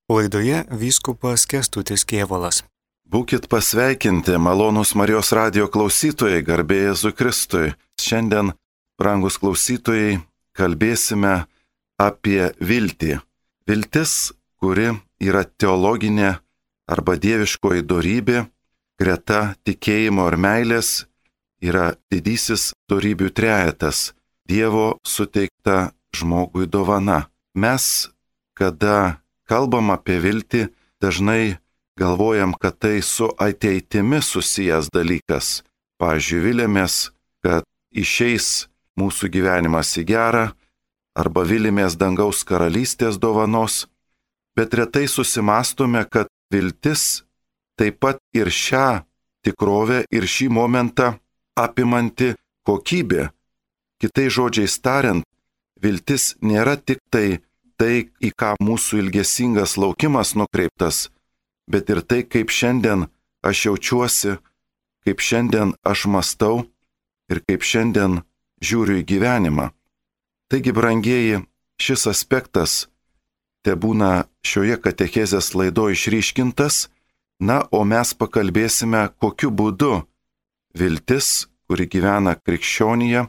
Laidoje vyskupas Kęstutis Kėvalas. Būkit pasveikinti, malonūs Marijos radijo klausytojai, garbė Jėzui Kristui. Šiandien, brangus klausytojai, kalbėsime apie viltį. Viltis, kuri yra teologinė arba dieviškoji dorybė, greta tikėjimo ir meilės, yra didysis dorybių trejetas, Dievo suteikta žmogui dovana. Mes, kada kalbam apie viltį, dažnai galvojam, kad tai su ateitimi susijęs dalykas. Pavyzdžiui, vilėmės, kad išeis mūsų gyvenimas į gerą, arba vilėmės dangaus karalystės dovanos, bet retai susimastome, kad viltis taip pat ir šią tikrovę ir šį momentą apimanti kokybė. Kitais žodžiais tariant, viltis nėra tik tai, į ką mūsų ilgesingas laukimas nukreiptas, bet ir tai, kaip šiandien aš jaučiuosi, kaip šiandien aš mąstau ir kaip šiandien žiūriu į gyvenimą. Taigi, brangieji, šis aspektas tebūna šioje katechezės laidoje išryškintas, o mes pakalbėsime, kokiu būdu viltis, kuri gyvena krikščionyje,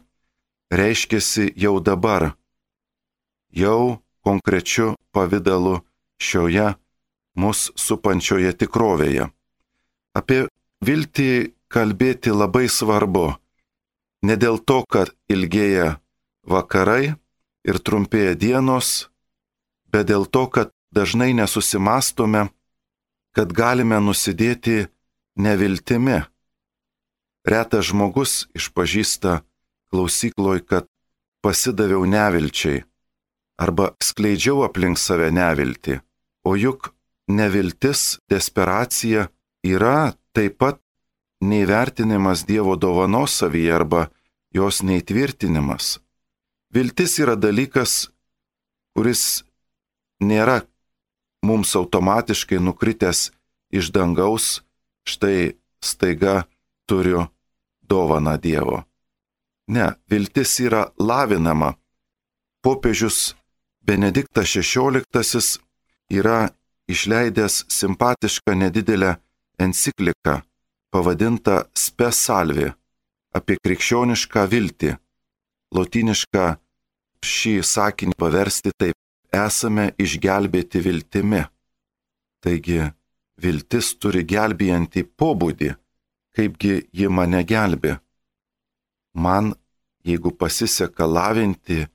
reiškiasi jau dabar, jau konkrečiu pavidalu šioje mus supančioje tikrovėje. Apie viltį kalbėti labai svarbu. Ne dėl to, kad ilgėja vakarai ir trumpėja dienos, bet dėl to, kad dažnai nesusimastome, kad galime nusidėti neviltimi. Retas žmogus išpažįsta klausykloj, kad pasidaviau nevilčiai arba skleidžiau aplink save neviltį. O juk neviltis, desperacija yra taip pat neįvertinimas Dievo dovanos savyje arba jos neįtvirtinimas. Viltis yra dalykas, kuris nėra mums automatiškai nukritęs iš dangaus, štai staiga turiu dovaną Dievo. Ne, viltis yra lavinama. Popiežius Benediktas XVI yra išleidęs simpatišką nedidelę encikliką, pavadintą Spe Salvi, apie krikščionišką viltį. Lotynišką šį sakinį paversti taip: esame išgelbėti viltimi. Taigi, viltis turi gelbėjantį pobūdį, kaipgi ji mane gelbė. Man, jeigu pasiseka lavinti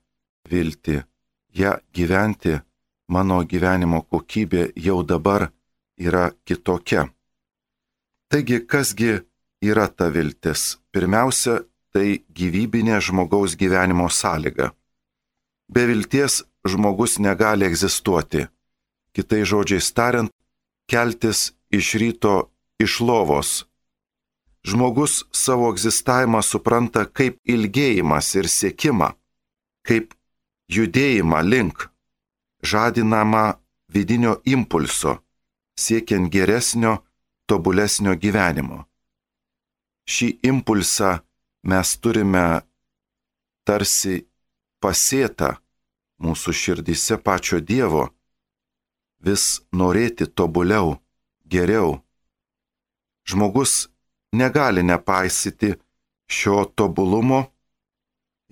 viltį, ją gyventi, mano gyvenimo kokybė jau dabar yra kitokia. Taigi, kasgi yra ta viltis? Pirmiausia, tai gyvybinė žmogaus gyvenimo sąlyga. Be vilties žmogus negali egzistuoti. Kitais žodžiais tariant, keltis iš ryto iš lovos. Žmogus savo egzistavimą supranta kaip ilgėjimas ir siekimą, kaip judėjimą link, žadinamą vidinio impulso, siekiant geresnio, tobulesnio gyvenimo. Šį impulsą mes turime tarsi pasėtą mūsų širdyse pačio Dievo, vis norėti tobuliau, geriau. Žmogus negali nepaisyti šio tobulumo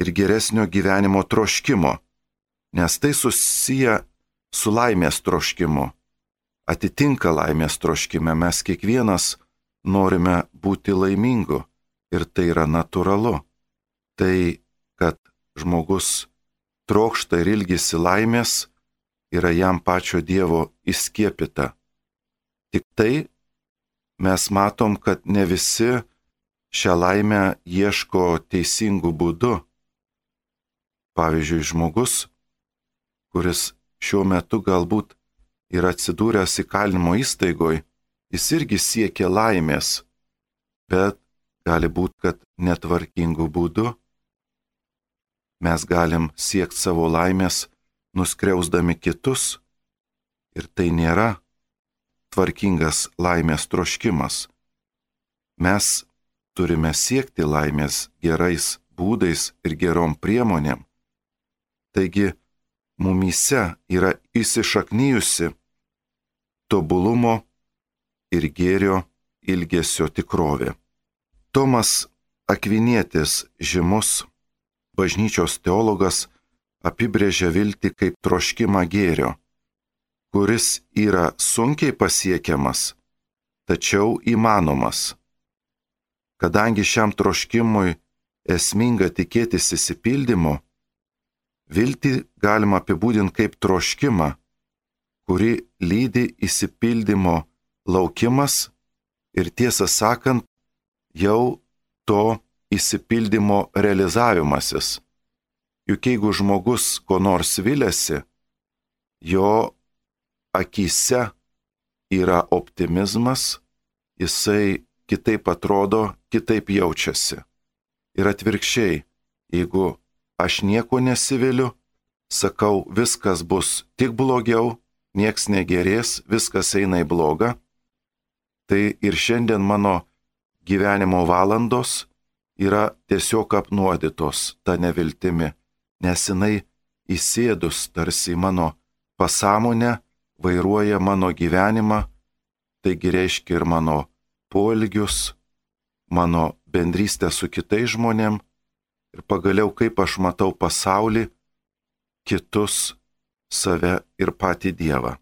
ir geresnio gyvenimo troškimo, nes tai susiję su laimės troškimu. Atitinka laimės troškime, mes kiekvienas norime būti laimingu ir tai yra natūralu. Tai, kad žmogus trokšta ir ilgisi laimės, yra jam pačio Dievo įskiepyta. Tik tai mes matom, kad ne visi šią laimę ieško teisingų būdų. Pavyzdžiui, žmogus, kuris šiuo metu galbūt yra atsidūręs įkalinimo įstaigoje, jis irgi siekia laimės, bet gali būti, kad netvarkingų būdų. Mes galim siekti savo laimės, nuskriausdami kitus, ir tai nėra tvarkingas laimės troškimas. Mes turime siekti laimės gerais būdais ir gerom priemonėm. Taigi, mumyse yra įsišaknyjusi tobulumo ir gėrio ilgesio tikrovė. Tomas Akvinietis, žymus bažnyčios teologas, apibrėžia viltį kaip troškimą gėrio, kuris yra sunkiai pasiekiamas, tačiau įmanomas. Kadangi šiam troškimui esminga tikėtis išsipildymo, viltį galima apibūdinti kaip troškimą, kuri lydi išsipildymo laukimas ir tiesą sakant, jau to išsipildymo realizavimasis. Juk jeigu žmogus ko nors viliasi, jo akyse yra optimizmas, jisai kitaip atrodo, kitaip jaučiasi. Ir atvirkščiai, jeigu aš nieko nesiviliu, sakau, viskas bus tik blogiau, nieks negerės, viskas eina į blogą, tai ir šiandien mano gyvenimo valandos yra tiesiog apnuodytos ta neviltimi, nes jinai įsėdus tarsi mano pasąmonę, vairuoja mano gyvenimą, taigi reiškia ir mano poelgius, mano bendrystę su kitais žmonėm ir pagaliau kaip aš matau pasaulį, kitus, save ir patį Dievą.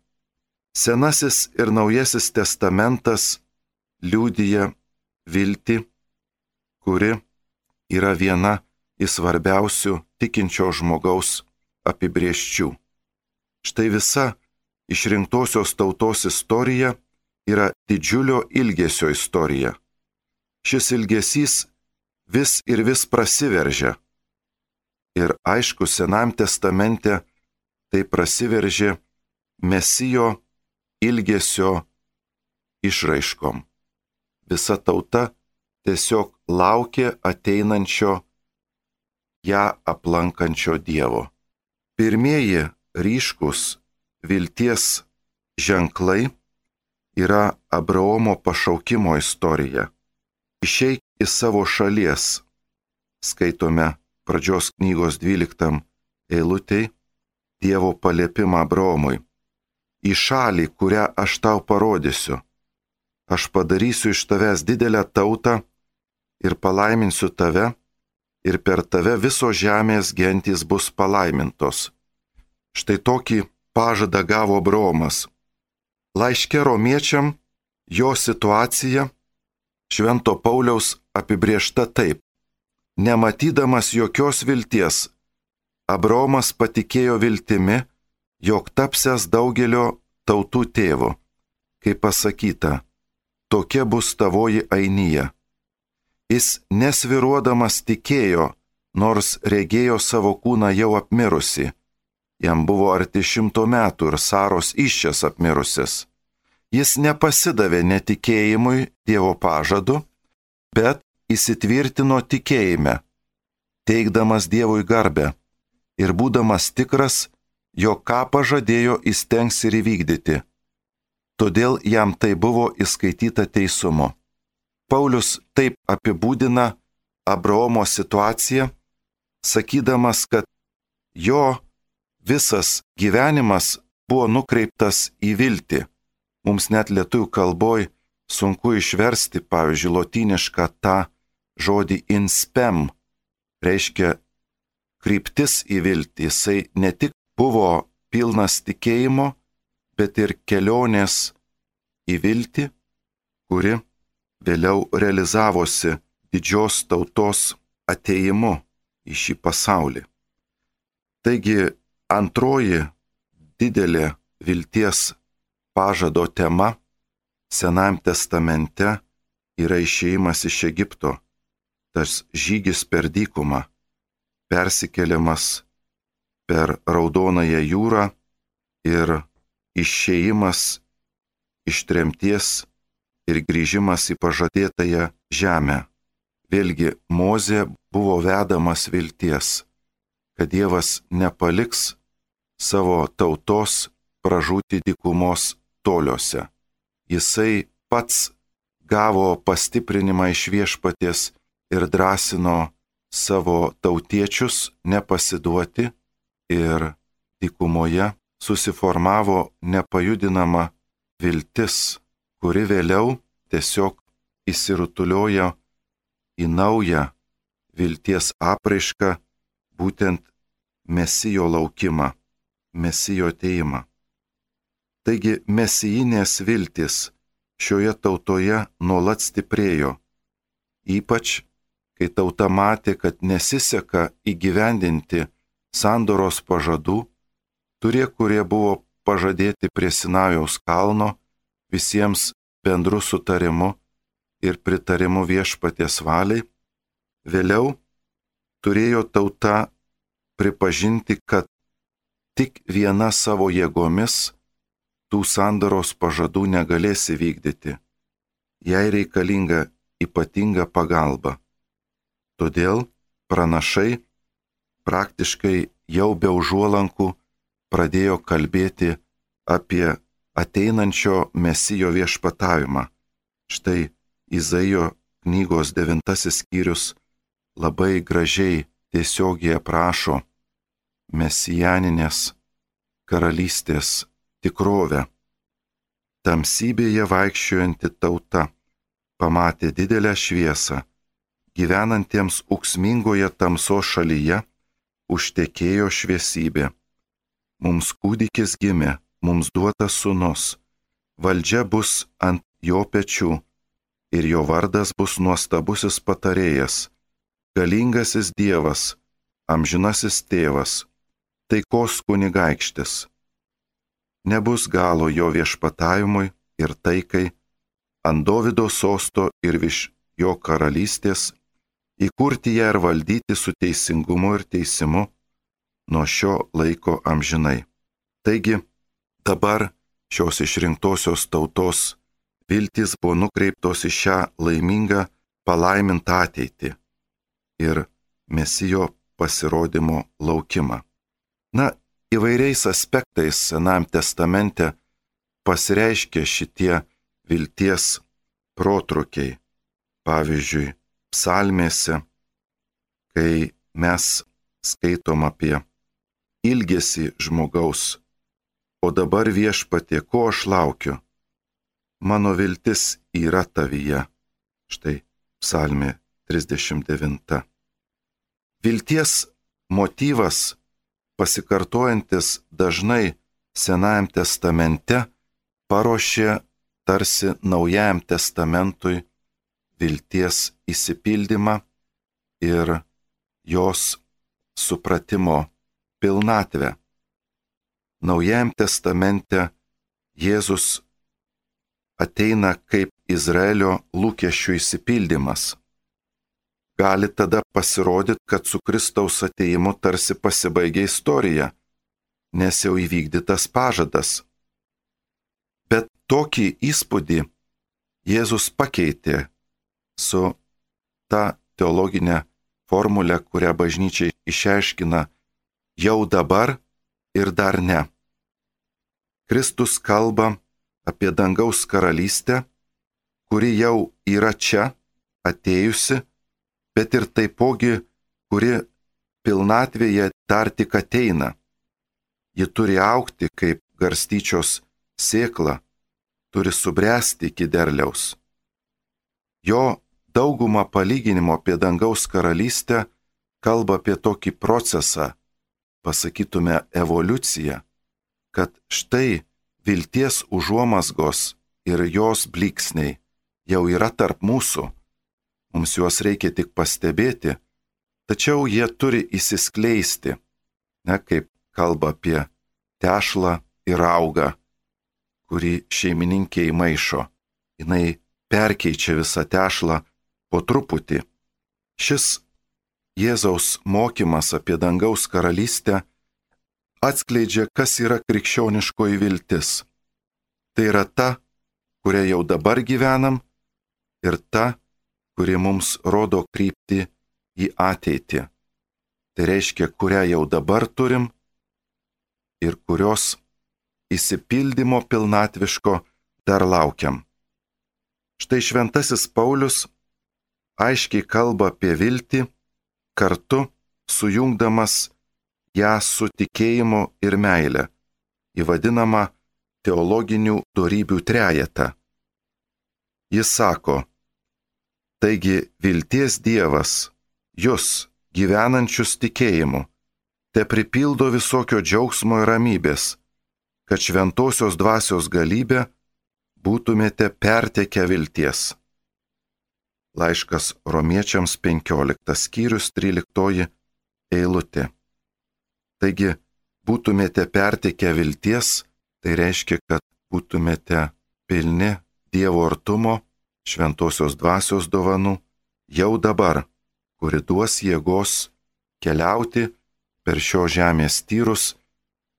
Senasis ir Naujasis testamentas liudija viltį, kuri yra viena iš svarbiausių tikinčio žmogaus apibrėžčių. Štai visa išrinktosios tautos istorija yra didžiulio ilgesio istorija. Šis ilgesys vis ir vis prasiveržia. Ir aišku, Senajam testamente tai prasiveržė Mesijo ilgesio išraiškom. Visa tauta tiesiog laukė ateinančio, ją aplankančio Dievo. Pirmieji ryškus vilties ženklai yra Abraomo pašaukimo istorija. Išeik iš savo šalies, skaitome pradžios knygos 12 eilutėj, Dievo paliepimą Abraomui. Į šalį, kurią aš tau parodysiu. Aš padarysiu iš tavęs didelę tautą ir palaiminsiu tave, ir per tave visos žemės gentys bus palaimintos. Štai tokį pažadą gavo Abraomas. Laiške romiečiam jo situacija Švento Pauliaus apibrėžta taip. Nematydamas jokios vilties, Abraomas patikėjo viltimi, jog tapsęs daugelio tautų tėvu. Kaip pasakyta, tokia bus tavoji ainija. Jis nesviruodamas tikėjo, nors regėjo savo kūną jau apmirusi. Jam buvo arti 100 metų ir Saros įsčias apmirusias. Jis nepasidavė netikėjimui Dievo pažadu, bet įsitvirtino tikėjime, teikdamas Dievui garbę ir būdamas tikras, jog ką pažadėjo įstengs ir įvykdyti. Todėl jam tai buvo įskaityta teisumu. Paulius taip apibūdina Abraomo situaciją, sakydamas, kad jo visas gyvenimas buvo nukreiptas į viltį. Mums net lietuvių kalboj sunku išversti, pavyzdžiui, lotynišką tą žodį in spem, reiškia kryptis į viltį. Jisai ne tik buvo pilnas tikėjimo, bet ir kelionės į viltį, kuri vėliau realizavosi didžios tautos atėjimu į šį pasaulį. Taigi antroji didelė vilties pažado tema Senajam testamente yra išėjimas iš Egipto, tas žygis per dykumą, persikėlimas per Raudonąją jūrą ir išėjimas iš tremties ir grįžimas į pažadėtąją žemę. Vėlgi Mozė buvo vedamas vilties, kad Dievas nepaliks savo tautos pražūti dykumos toliuose. Jisai pats gavo pastiprinimą iš Viešpaties ir drąsino savo tautiečius nepasiduoti ir dykumoje susiformavo nepajudinama viltis, kuri vėliau tiesiog įsirutulioja į naują vilties apraišką, būtent Mesijo laukimą, Mesijo atėjimą. Taigi mesijinės viltis šioje tautoje nuolat stiprėjo, ypač kai tauta matė, kad nesiseka įgyvendinti sandoros pažadų, kurie buvo pažadėti prie Sinajaus kalno visiems bendru sutarimu ir pritarimu viešpaties valiai, vėliau turėjo tauta pripažinti, kad tik viena savo jėgomis tų sandoros pažadų negalės įvykdyti. Jai reikalinga ypatinga pagalba. Todėl pranašai praktiškai jau be užuolankų pradėjo kalbėti apie ateinančio Mesijo viešpatavimą. Štai Izaijo knygos 9 skyrius labai gražiai tiesiogiai aprašo mesijaninės karalystės tikrovę. Tamsybėje vaikščiojanti tauta pamatė didelę šviesą, gyvenantiems ūksmingoje tamsos šalyje užtekėjo šviesybė. Mums kūdikis gimė, mums duotas sūnus, valdžia bus ant jo pečių ir jo vardas bus nuostabusis patarėjas, galingasis Dievas, amžinasis tėvas, taikos kunigaikštis. Nebus galo jo viešpatavimui ir taikai, ant Dovydo sosto ir virš jo karalystės, įkurti ją ir valdyti su teisingumu ir teisimu nuo šio laiko amžinai. Taigi, dabar šios išrinktosios tautos viltys buvo nukreiptos į šią laimingą palaimintą ateitį ir Mesijo pasirodymo laukimą. Na, įvairiais aspektais Senajam testamente pasireiškia šitie vilties protrukiai. Pavyzdžiui, psalmėse, kai mes skaitom apie ilgesį žmogaus, o dabar viešpatie, ko aš laukiu? Mano viltis yra tavyje. Štai psalmė 39. Vilties motyvas, pasikartojantis dažnai Senajam testamente, paruošė tarsi Naujajam testamentui vilties įsipildymą ir jos supratimo pilnatvę. Naujajam testamente Jėzus ateina kaip Izraelio lūkesčių įsipildymas. Gali tada pasirodyti, kad su Kristaus atėjimu tarsi pasibaigė istorija, nes jau įvykdytas pažadas. Bet tokį įspūdį Jėzus pakeitė su ta teologinė formulė, kurią bažnyčia išaiškina jau dabar ir dar ne. Kristus kalba apie dangaus karalystę, kuri jau yra čia, atėjusi, bet ir taipogi, kuri pilnatvėje dar tik ateina. Ji turi augti kaip garstyčios sėkla, turi subręsti iki derliaus. Jo dauguma palyginimo apie dangaus karalystę kalba apie tokį procesą, pasakytume evoliuciją, kad štai vilties užuomazgos ir jos blyksniai jau yra tarp mūsų. Mums juos reikia tik pastebėti, tačiau jie turi įsiskleisti, kaip kalba apie tešlą ir raugą, kurį šeimininkė įmaišo. Jinai perkeičia visą tešlą po truputį. Šis Jėzaus mokymas apie dangaus karalystę atskleidžia, kas yra krikščioniškoji viltis. Tai yra ta, kuria jau dabar gyvenam, ir ta, kuri mums rodo kryptį į ateitį. Tai reiškia, kurią jau dabar turim ir kurios įsipildymo pilnatviško dar laukiam. Štai šventasis Paulius aiškiai kalba apie viltį, kartu sujungdamas ją su tikėjimu ir meile, į vadinamą teologinių dorybių trejetą. Jis sako, taigi vilties Dievas, jūs, gyvenančius tikėjimu, te pripildo visokio džiaugsmo ir ramybės, kad šventosios dvasios galybė būtumėte pertekę vilties. Laiškas Romiečiams 15 skyrius 13 eilutė. Taigi, būtumėte pertekę vilties, tai reiškia, kad būtumėte pilni Dievo artumo, šventosios dvasios dovanų, jau dabar, kuri duos jėgos keliauti per šio žemės tyrus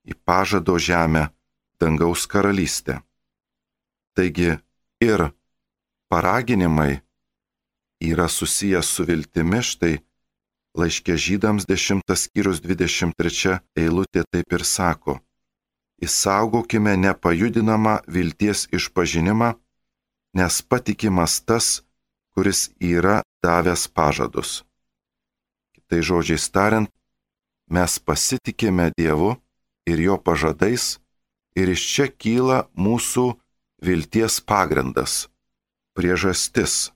į pažado žemę, dangaus karalystę. Taigi ir paraginimai yra susijęs su viltimi, štai laiške Žydams 10 skyrius 23 eilutė taip ir sako, išsaugokime nepajudinamą vilties išpažinimą, nes patikimas tas, kuris yra davęs pažadus. Kitai žodžiais tariant, mes pasitikime Dievu ir jo pažadais ir iš čia kyla mūsų vilties pagrindas, priežastis.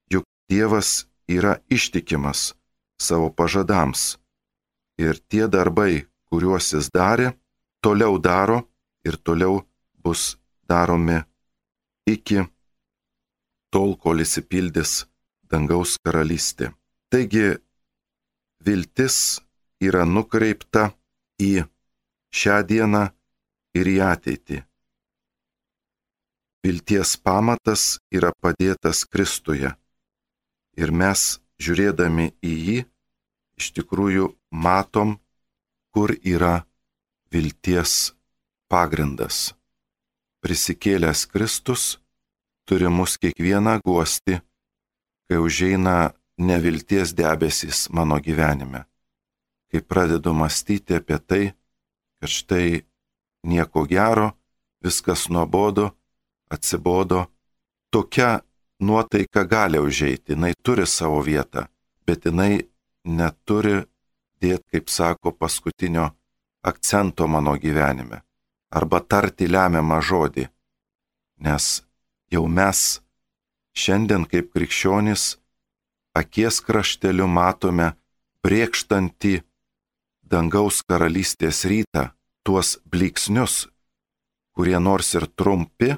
Juk Dievas yra ištikimas savo pažadams ir tie darbai, kuriuos jis darė, toliau daro ir toliau bus daromi iki tol, kol išsipildys dangaus karalystė. Taigi, viltis yra nukreipta į šią dieną ir į ateitį. Vilties pamatas yra padėtas Kristuje ir mes, žiūrėdami į jį, iš tikrųjų matom, kur yra vilties pagrindas. Prisikėlęs Kristus turi mus kiekvieną guosti, kai užeina nevilties debesys mano gyvenime. Kai pradedu mąstyti apie tai, kad štai nieko gero, viskas nuobodu, atsibodo, tokia nuotaika gali užeiti, jinai turi savo vietą, bet jinai neturi dėti, kaip sako, paskutinio akcento mano gyvenime, arba tarti lemiamą žodį, nes jau mes šiandien kaip krikščionys akies krašteliu matome brėkštantį dangaus karalystės rytą, tuos blyksnius, kurie nors ir trumpi,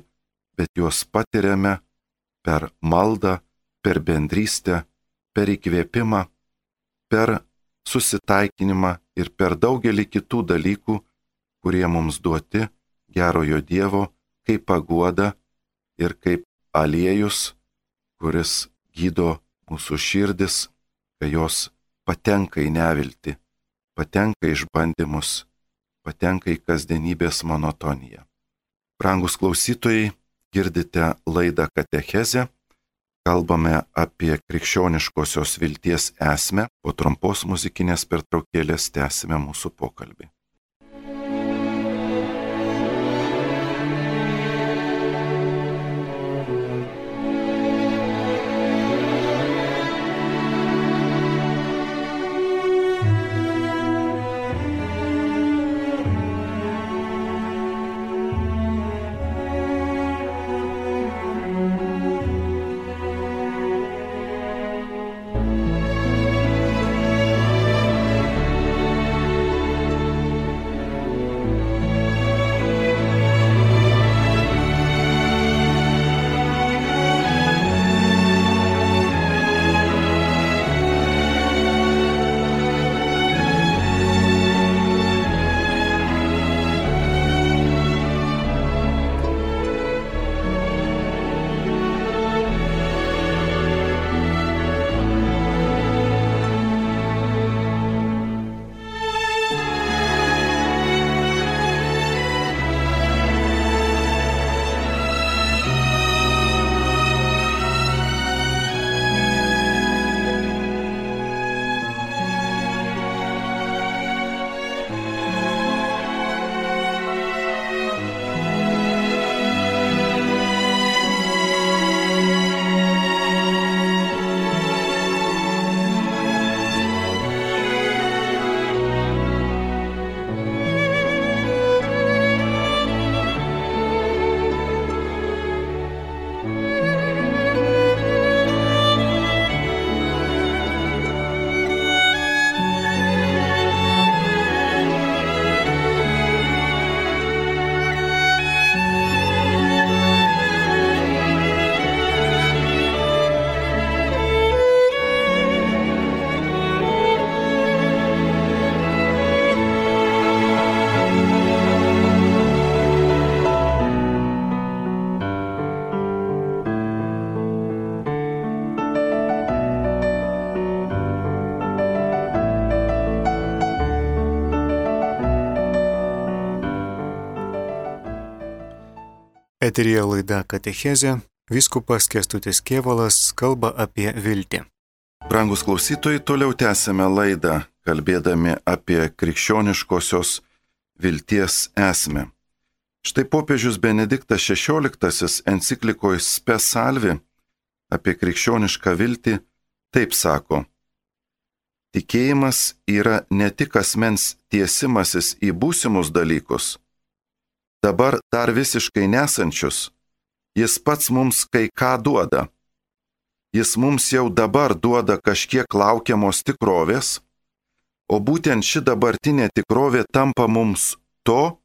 bet juos patiriame per maldą, per bendrystę, per įkvėpimą, per susitaikinimą ir per daugelį kitų dalykų, kurie mums duoti gerojo Dievo kaip paguoda ir kaip aliejus, kuris gydo mūsų širdis, kai jos patenka į neviltį, patenka į išbandymus, patenka į kasdienybės monotoniją. Brangus klausytojai, girdite laidą Katechezę, kalbame apie krikščioniškosios vilties esmę, po trumpos muzikinės pertraukėlės tęsime mūsų pokalbį. Eteryje laida Katechezė, vyskupas Kęstutis Kėvalas kalba apie viltį. Brangus klausytojai, toliau tęsime laidą, kalbėdami apie krikščioniškosios vilties esmę. Štai popiežius Benediktas XVI enciklikoje Spes Salvi apie krikščionišką viltį taip sako: tikėjimas yra ne tik asmens tiesimasis į būsimus dalykus, dabar dar visiškai nesančius, jis pats mums kai ką duoda. Jis mums jau dabar duoda kažkiek laukiamos tikrovės, o būtent ši dabartinė tikrovė tampa mums to,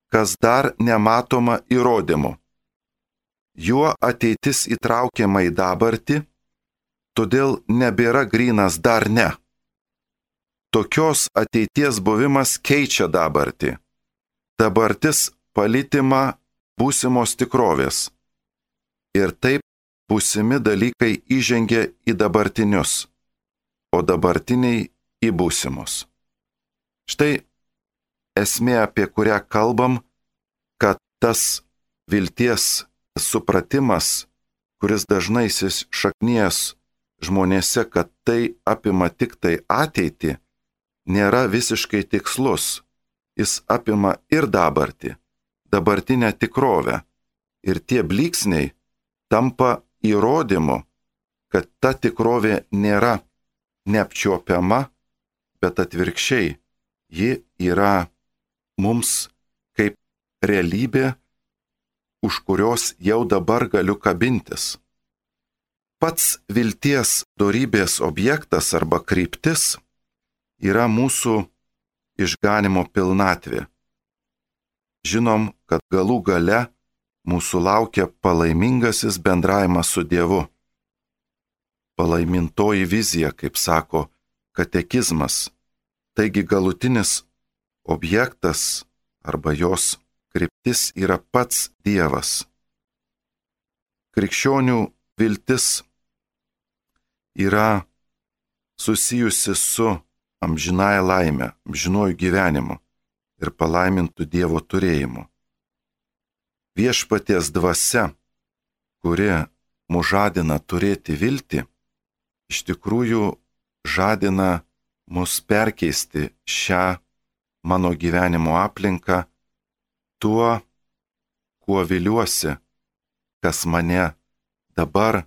kas dar nematoma įrodymu. Juo ateitis įtraukiama į dabartį, todėl nebėra grynas dar ne. Tokios ateities buvimas keičia dabartį. Dabartis palytima būsimos tikrovės. Ir taip būsimi dalykai įžengia į dabartinius, o dabartiniai į būsimus. Štai esmė, apie kurią kalbam, kad tas vilties supratimas, kuris dažnai įsišaknijęs žmonėse, kad tai apima tik tai ateitį, nėra visiškai tikslus. Jis apima ir dabartį, dabartinę tikrovę. Ir tie blyksniai tampa įrodymu, kad ta tikrovė nėra neapčiuopiama, bet atvirkščiai, ji yra mums kaip realybė, už kurios jau dabar galiu kabintis. Pats vilties dorybės objektas arba kryptis yra mūsų išganimo pilnatvė. Žinom, kad galų gale mūsų laukia palaimingasis bendravimas su Dievu. Palaimintoji vizija, kaip sako katekizmas. Taigi galutinis objektas arba jos kryptis yra pats Dievas. Krikščionių viltis yra susijusi su amžinąja laime, amžinuoju gyvenimu ir palaimintų Dievo turėjimu. Viešpaties dvasia, kuri mus žadina turėti viltį, iš tikrųjų žadina mus perkeisti šią mano gyvenimo aplinką tuo, kuo viliuosi, kas mane dabar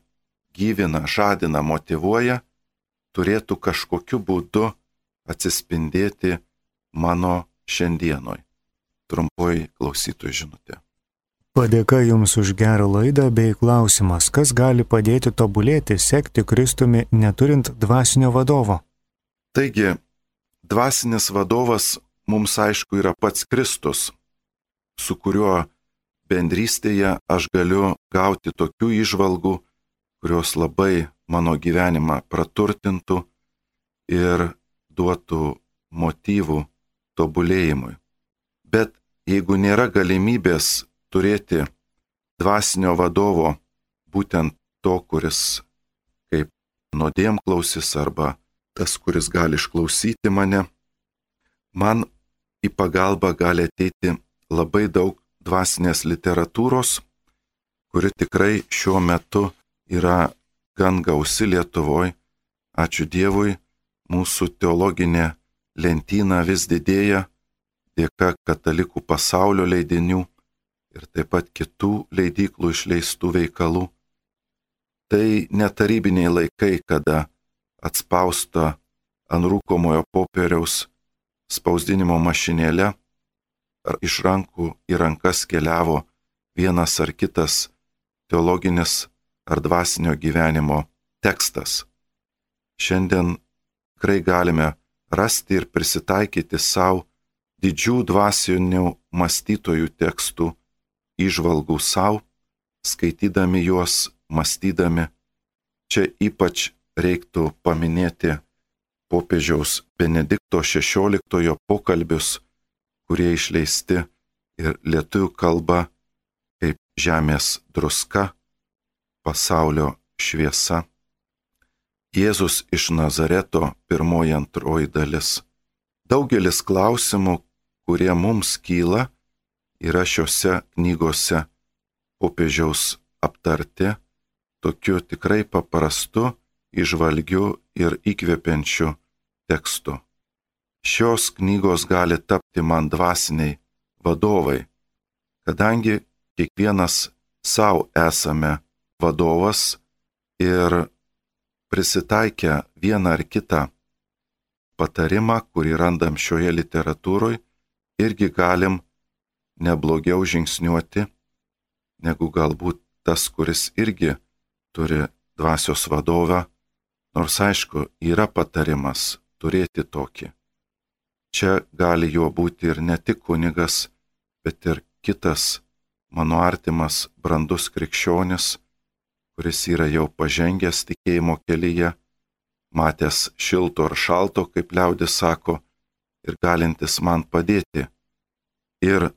gyvina, žadina, motyvuoja, turėtų kažkokiu būdu atsispindėti mano šiandienoj. Trumpoji klausytojų žinutė. Padėka Jums už gerą laidą bei klausimas, kas gali padėti tobulėti, sekti Kristumi, neturint dvasinio vadovo? Taigi, dvasinis vadovas mums aišku yra pats Kristus, su kuriuo bendrystėje aš galiu gauti tokių įžvalgų, kurios labai mano gyvenimą praturtintų ir duotų motyvų tobulėjimui. Bet jeigu nėra galimybės turėti dvasinio vadovo, būtent to, kuris kaip nuodėmklausis arba tas, kuris gali išklausyti mane, man į pagalbą gali ateiti labai daug dvasinės literatūros, kuri tikrai šiuo metu yra gan gausi Lietuvoje. Ačiū Dievui, mūsų teologinė lentyna vis didėja dėka katalikų pasaulio leidinių ir taip pat kitų leidyklų išleistų veikalų. Tai netarybiniai laikai, kada atspausta ant rūkomojo popieriaus spausdinimo mašinėle ar iš rankų į rankas keliavo vienas ar kitas teologinis ar dvasinio gyvenimo tekstas. Šiandien tikrai galime rasti ir prisitaikyti savo didžių dvasinių mąstytojų tekstų, įžvalgų savo, skaitydami juos, mąstydami. Čia ypač reiktų paminėti popiežiaus Benedikto XVI pokalbius, kurie išleisti ir lietuvių kalba kaip žemės druska, pasaulio šviesa. Jėzus iš Nazareto, 1-2 dalis. Daugelis klausimų, kurie mums kyla, yra šiuose knygose popiežiaus aptarti tokiu tikrai paprastu, įžvalgiu ir įkvepiančiu tekstu. Šios knygos gali tapti man dvasiniai vadovai, kadangi kiekvienas savo esame vadovas ir prisitaikę vieną ar kitą patarimą, kurį randam šioje literatūroje, irgi galim neblogiau žingsniuoti, negu galbūt tas, kuris irgi turi dvasios vadovą, nors aišku, yra patarimas turėti tokį. Čia gali jo būti ir ne tik kunigas, bet ir kitas mano artimas brandus krikščionis, kuris yra jau pažengęs tikėjimo kelyje, matęs šilto ar šalto, kaip liaudis sako, ir galintis man padėti. Ir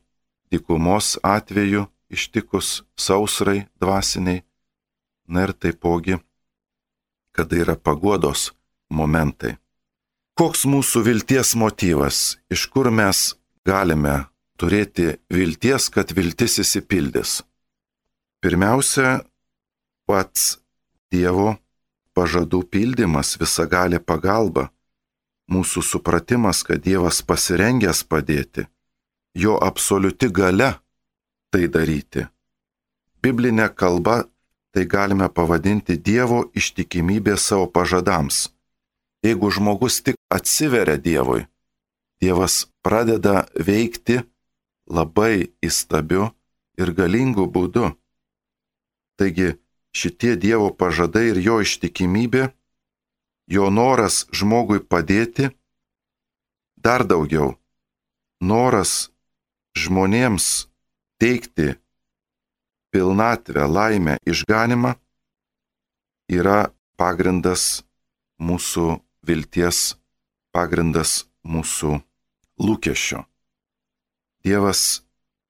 dykumos atveju ištikus sausrai dvasiniai, na ir taipogi, kada yra paguodos momentai. Koks mūsų vilties motyvas? Iš kur mes galime turėti vilties, kad viltis išsipildys? Pirmiausia, pats Dievo pažadų pildymas, visagalė pagalba, mūsų supratimas, kad Dievas pasirengęs padėti, jo absoliuti galia tai daryti. Biblinė kalba tai galime pavadinti Dievo ištikimybė savo pažadams. Jeigu žmogus tik atsiveria Dievui, Dievas pradeda veikti labai įstabiu ir galingu būdu. Taigi šitie Dievo pažadai ir jo ištikimybė, jo noras žmogui padėti, dar daugiau, noras žmonėms teikti pilnatvę, laimę, išganimą yra pagrindas mūsų vilties, pagrindas mūsų lūkesčio. Dievas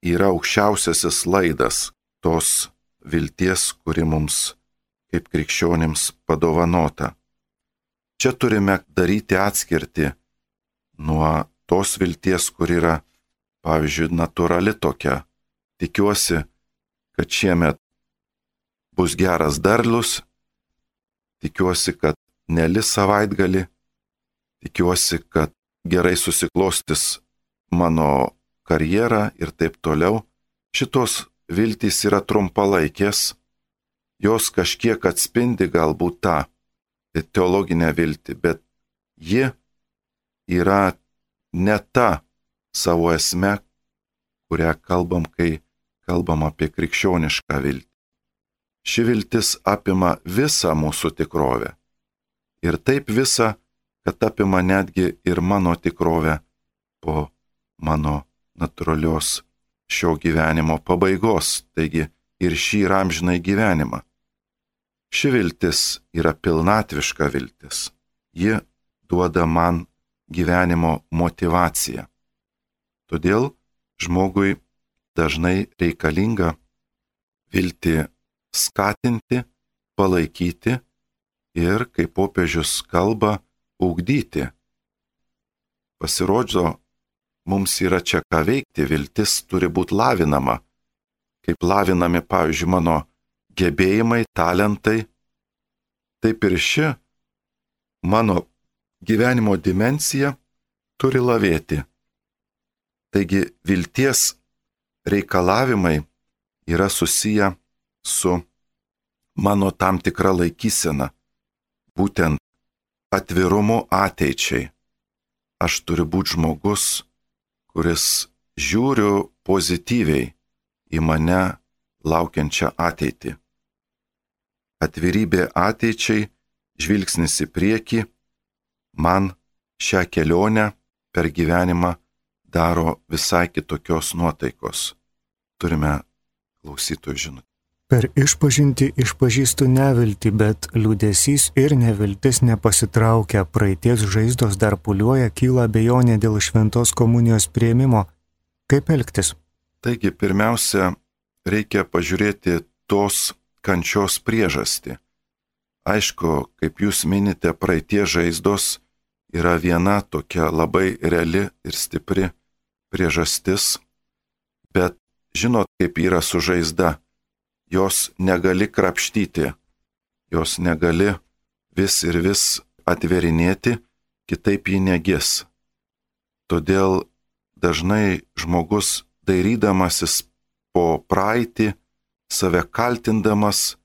yra aukščiausiasis laidas tos vilties, kuri mums kaip krikščionims padovanota. Čia turime daryti atskirtį nuo tos vilties, kur yra, pavyzdžiui, natūrali tokia. Tikiuosi, kad šiemet bus geras derlius, tikiuosi, kad nelis savaitgalį, tikiuosi, kad gerai susiklostys mano karjera ir taip toliau. Šitos viltys yra trumpalaikės, jos kažkiek atspindi galbūt tą teologinę viltį, bet ji yra ne ta savo esme, kurią kalbam, kai kalbam apie krikščionišką viltį. Ši viltis apima visą mūsų tikrovę. Ir taip visą, kad apima netgi ir mano tikrovę po mano natūralios šio gyvenimo pabaigos, taigi ir šį ir amžinai gyvenimą. Ši viltis yra pilnatviška viltis. Ji duoda man gyvenimo motyvaciją. Todėl žmogui dažnai reikalinga viltį skatinti, palaikyti ir, kaip popiežius kalba, ugdyti. Pasirodžio, mums yra čia ką veikti, viltis turi būti lavinama. Kaip lavinami, pavyzdžiui, mano gebėjimai, talentai, taip ir ši mano gyvenimo dimensija turi lavėti. Taigi vilties reikalavimai yra susiję su mano tam tikra laikysena, būtent atvirumu ateičiai. Aš turiu būti žmogus, kuris žiūriu pozityviai į mane laukiančią ateitį. Atvirybė ateičiai, žvilgsnis į priekį, man šią kelionę per gyvenimą daro visai kitokios nuotaikos. Turime klausytojų žinutę. Per išpažintį išpažįstu neviltį, bet liūdesys ir neviltis nepasitraukia, praeities žaizdos dar pūliuoja, kyla abejonė dėl šventos komunijos priėmimo. Kaip elgtis? Taigi, pirmiausia, reikia pažiūrėti tos kančios priežastį. Aišku, kaip jūs minite, praeities žaizdos yra viena tokia labai reali ir stipri priežastis, bet žinot, kaip yra su žaizda. jos negali krapštyti, jos negali vis ir vis atverinėti, kitaip ji negis. Todėl dažnai žmogus dairydamasis po praeitį, save kaltindamas,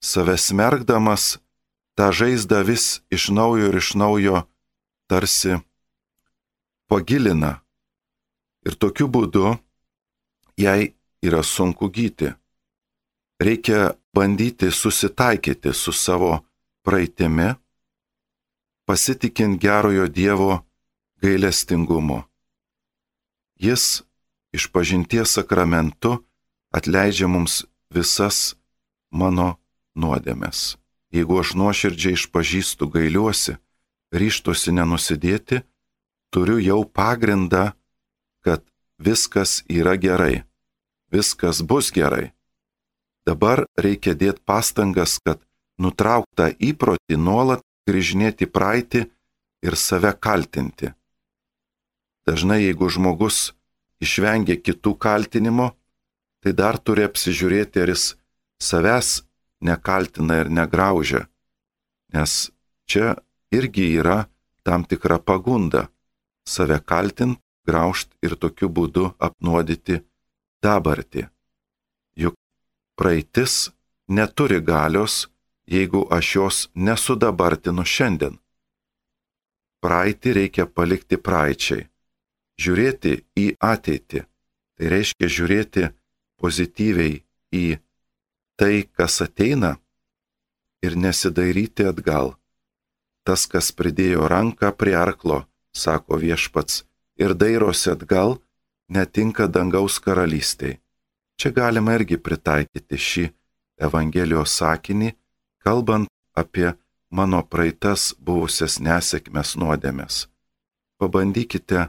save smergdamas, tą žaizdą vis iš naujo tarsi pagilina. Ir tokiu būdu jai yra sunku gyti. Reikia bandyti susitaikyti su savo praeitimi, pasitikint gerojo Dievo gailestingumu. Jis išpažinties sakramentu atleidžia mums visas mano nuodėmes. Jeigu aš nuoširdžiai išpažįstu, gailiuosi, ryžtuosi nenusidėti, turiu jau pagrindą, kad viskas yra gerai, viskas bus gerai. Dabar reikia dėti pastangas, kad nutrauktą įprotį nuolat grįžinėti praeitį ir save kaltinti. Dažnai, jeigu žmogus išvengia kitų kaltinimo, tai dar turi apsižiūrėti, ar jis savęs nekaltina ir negraužia, nes čia irgi yra tam tikra pagunda save kaltint, graužt ir tokiu būdu apnuodyti dabartį. Juk praeitis neturi galios, jeigu aš jos nesudabartinu šiandien. Praeitį reikia palikti praeičiai, žiūrėti į ateitį, tai reiškia žiūrėti pozityviai į tai, kas ateina ir nesidairyti atgal. Tas, kas pridėjo ranką prie arklo, sako Viešpats, ir dairosi atgal, netinka dangaus karalystei. Čia galima irgi pritaikyti šį Evangelijos sakinį, kalbant apie mano praeitas buvusias nesėkmes nuodėmes. Pabandykite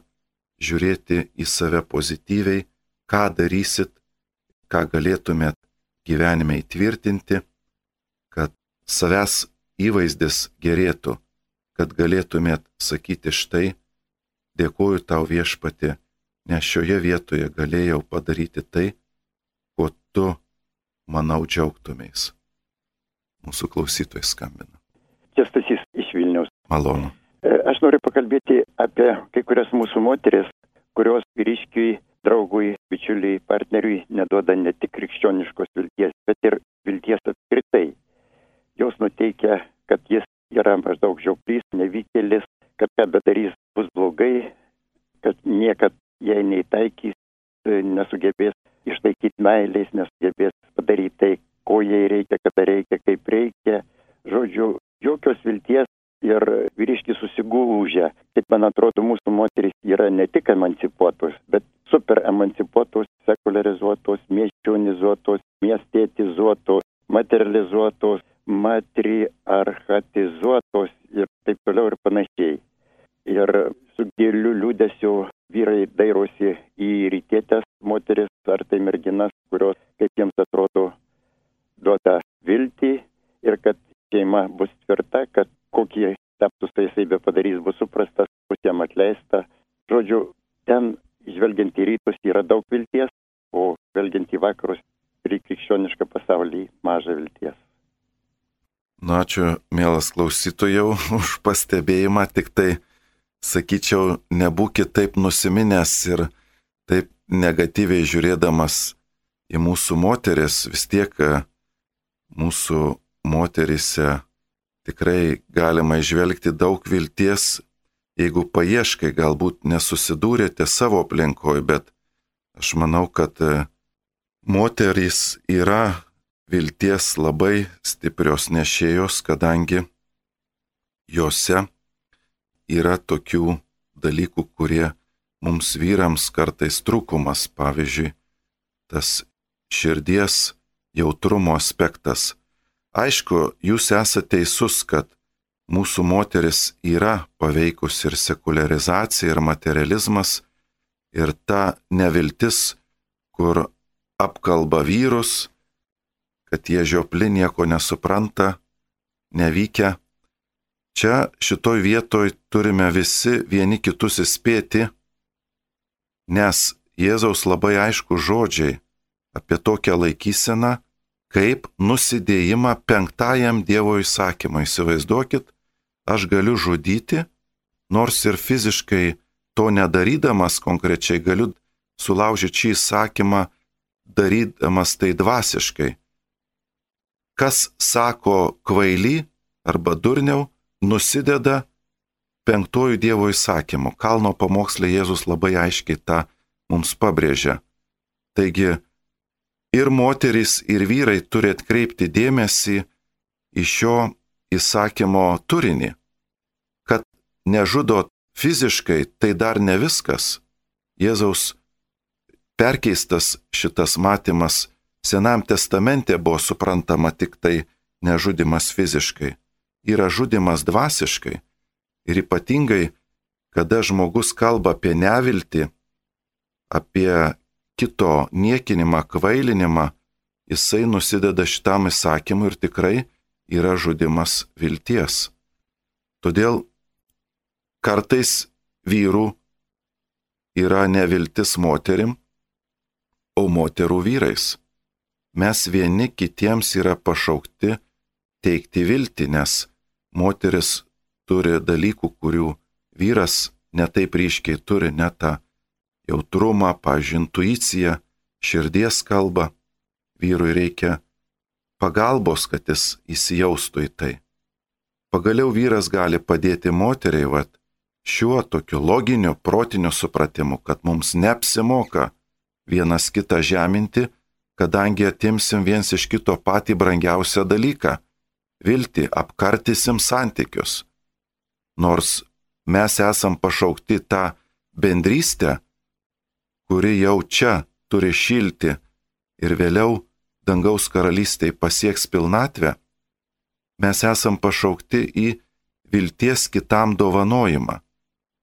žiūrėti į save pozityviai, ką darysit, ką galėtumėt gyvenime įtvirtinti, kad savęs įvaizdis gerėtų, kad galėtumėt sakyti štai, dėkoju tau Viešpatie, nes šioje vietoje galėjau padaryti tai, ko tu, manau, džiaugtumės. Mūsų klausytojai skambina. Kęstutis iš Vilniaus. Malonu. Aš noriu pakalbėti apie kai kurias mūsų moteris, kurios vyriškiui, draugui, bičiuliui, partneriui neduoda ne tik krikščioniškos vilties, bet ir vilties apskritai. Jos nuteikia, kad jis yra maždaug žioplys, nevykėlis, kad ką bedarys bus blogai, kad niekad jai neįtaikys, nesugebės išlaikyti meilės, nesugebės padaryti tai, ko jai reikia, kada reikia, kaip reikia. Žodžiu, jokios vilties ir vyriškis susigūžia. Kaip man atrodo, mūsų moterys yra ne tik emancipuotos, bet super emancipuotos, sekularizuotos, miesčionizuotos, miestetizuotos, materializuotos, matriarchatizuotos ir taip toliau ir panašiai. Ir su giliu liūdesiu vyrai dairosi į rytietės moteris ar tai merginas, kurios, kaip jiems atrodo, duoda viltį ir kad šeima bus tvirta, kad kokie taptus taisai be padarys bus suprastas, bus jam atleista. Žodžiu, ten žvelgiant į rytus yra daug vilties, o žvelgiant į vakarus ir į krikščionišką pasaulį maža vilties. Nu, ačiū, mielas klausytojau, už pastebėjimą, tik tai, sakyčiau, nebūkit taip nusiminęs ir taip negatyviai žiūrėdamas į mūsų moteris, vis tiek mūsų moterise tikrai galima įžvelgti daug vilties, jeigu paieškai, galbūt nesusidūrėte savo aplinkoje, bet aš manau, kad moterys yra vilties labai stiprios nešėjos, kadangi jose yra tokių dalykų, kurie mums vyrams kartais trūkumas, pavyzdžiui, tas širdies jautrumo aspektas. Aišku, jūs esate teisus, kad mūsų moteris yra paveikus ir sekularizacija, ir materializmas, ir ta neviltis, kur apkalba vyrus, kad jie žiopli nieko nesupranta, nevykę. Čia šitoj vietoj turime visi vieni kitus įspėti, nes Jėzaus labai aišku žodžiai apie tokią laikyseną kaip nusidėjimą 5 Dievo įsakymui. Įsivaizduokit, aš galiu žudyti, nors ir fiziškai to nedarydamas konkrečiai galiu sulaužyti šį įsakymą, darydamas tai dvasiškai. Kas sako kvaily arba durniau, nusideda 5 Dievo įsakymu. Kalno pamoksle Jėzus labai aiškiai tą mums pabrėžia. Taigi ir moterys, ir vyrai turi atkreipti dėmesį į šio įsakymo turinį. Kad nežudot fiziškai, tai dar ne viskas. Jėzaus perkeistas šitas matymas Senam testamente buvo suprantama tik tai nežudimas fiziškai. Yra žudimas dvasiškai. Ir ypatingai, kada žmogus kalba apie neviltį, apie kito niekinimą, kvailinimą, jisai nusideda šitam įsakymui ir tikrai yra žudimas vilties. Todėl kartais vyrų yra neviltis moterim, o moterų vyrais. Mes vieni kitiems yra pašaukti teikti viltį, nes moteris turi dalykų, kurių vyras netaip ryškiai turi, ne tą jautrumą, pavyzdžiui, intuiciją, širdies kalbą. Vyrui reikia pagalbos, kad jis įsijaustų į tai. Pagaliau vyras gali padėti moteriai, šiuo tokiu loginiu, protiniu supratimu, kad mums neapsimoka vienas kitą žeminti, kadangi atimsim viens iš kito patį brangiausią dalyką – viltį, apkartysim santykius. Nors mes esam pašaukti tą bendrystę, kuri jau čia turi šilti ir vėliau dangaus karalystėje pasieks pilnatvę, mes esam pašaukti į vilties kitam dovanojimą.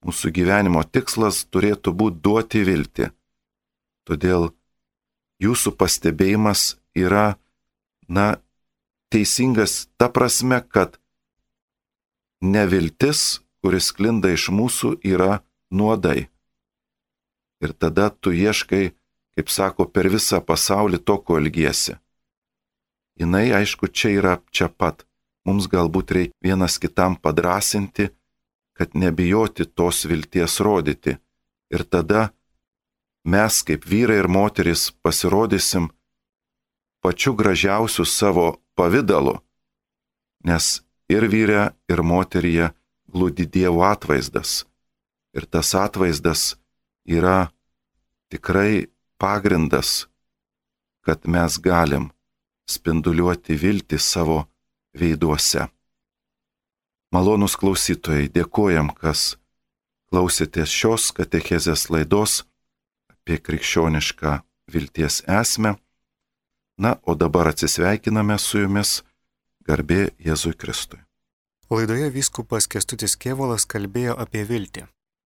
Mūsų gyvenimo tikslas turėtų būti duoti viltį. Todėl jūsų pastebėjimas yra, teisingas ta prasme, kad neviltis, kuris sklinda iš mūsų, yra nuodai. Ir tada tu ieškai, kaip sako, per visą pasaulį to, ko ilgiesi. Jinai, aišku, čia yra čia pat. Mums galbūt reikia vienas kitam padrasinti, kad nebijoti tos vilties rodyti. Ir tada mes, kaip vyrai ir moteris, pasirodysim pačiu gražiausiu savo pavidalu, nes ir vyre, ir moteryje glūdi Dievo atvaizdas. Ir tas atvaizdas yra tikrai pagrindas, kad mes galim spinduliuoti viltį savo veiduose. Malonūs klausytojai, dėkojam, kas klausėtės šios katechezės laidos apie krikščionišką vilties esmę. O dabar atsisveikiname su jumis, garbė Jėzui Kristui. Laidoje vyskupas Kęstutis Kėvalas kalbėjo apie viltį.